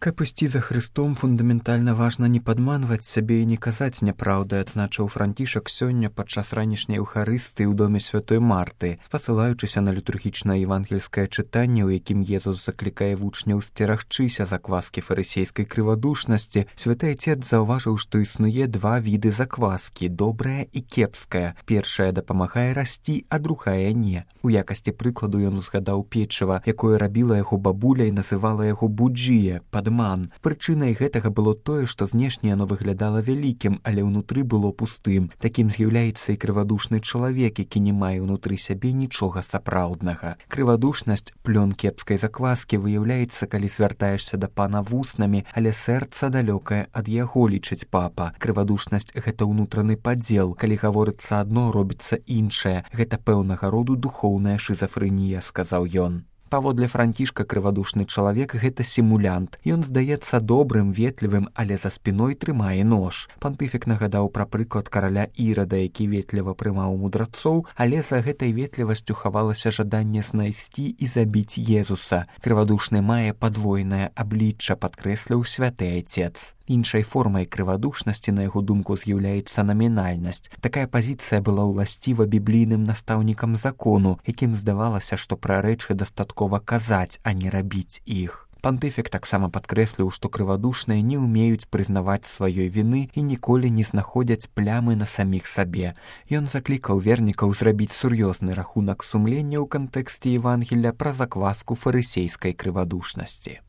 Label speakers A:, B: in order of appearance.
A: Каб ісці за Христом, фундаментальна важна не падманваць сябе і не казаць няпраўды, адзначыў Францішак сёння падчас ранішняй эўхарыстыі ў доме святой Марты, спасылаючыся на літургічнае евангельскае чытанне, у якім Езус заклікае вучняў сцерагчыся закваскі фарысейскай крывадушнасці. Святы Отец заўважыў, што існуе два віды закваскі, добрая і кепская. Першая дапамагае расці, а другая не. У якасці прыкладу ён узгадаў печыва, якое рабіла яго бабуля і называла яго буджіе, падман. Прычынай гэтага было тое, што знешне яно выглядала вялікім, але ўнутры было пустым. Такім з'яўляецца і крывадушны чалавек, які не мае ўнутры сябе нічога сапраўднага. Крывадушнасць, плён кепскай закваскі, выяўляецца, калі звяртаешся да пана вуснамі, але сэрца далёкае ад яго, лічыць папа. Крывадушнасць — гэта ўнутраны падзел. Калі гаворыцца адно, робіцца іншае. Гэта пэўнага роду духоўная шызафрэнія, сказаў ён. Паводле Францішка, крывадушны чалавек — гэта сімулянт. Ён здаецца добрым, ветлівым, але за спіной трымае нож. Пантыфік нагадаў пра прыклад караля Ірада, які ветліва прымаў мудрацоў, але за гэтай ветлівасцю хавалася жаданне знайсці і забіць Езуса. Крывадушны мае падвойнае аблічча, падкрэсліў святы Отец. Іншай формай крывадушнасці, на яго думку, з'яўляецца намінальнасць. Такая пазіцыя была ўласціва біблійным настаўнікам закону, якім здавалася, што пра рэчы дастаткова казаць, а не рабіць іх. Пантыфік таксама падкрэсліў, што крывадушныя не ўмеюць прызнаваць сваёй віны і ніколі не знаходзяць плямы на саміх сабе. Ён заклікаў вернікаў зрабіць сур'ёзны рахунак сумлення ў кантэксце Евангелля пра закваску фарысейскай крывадушнасці.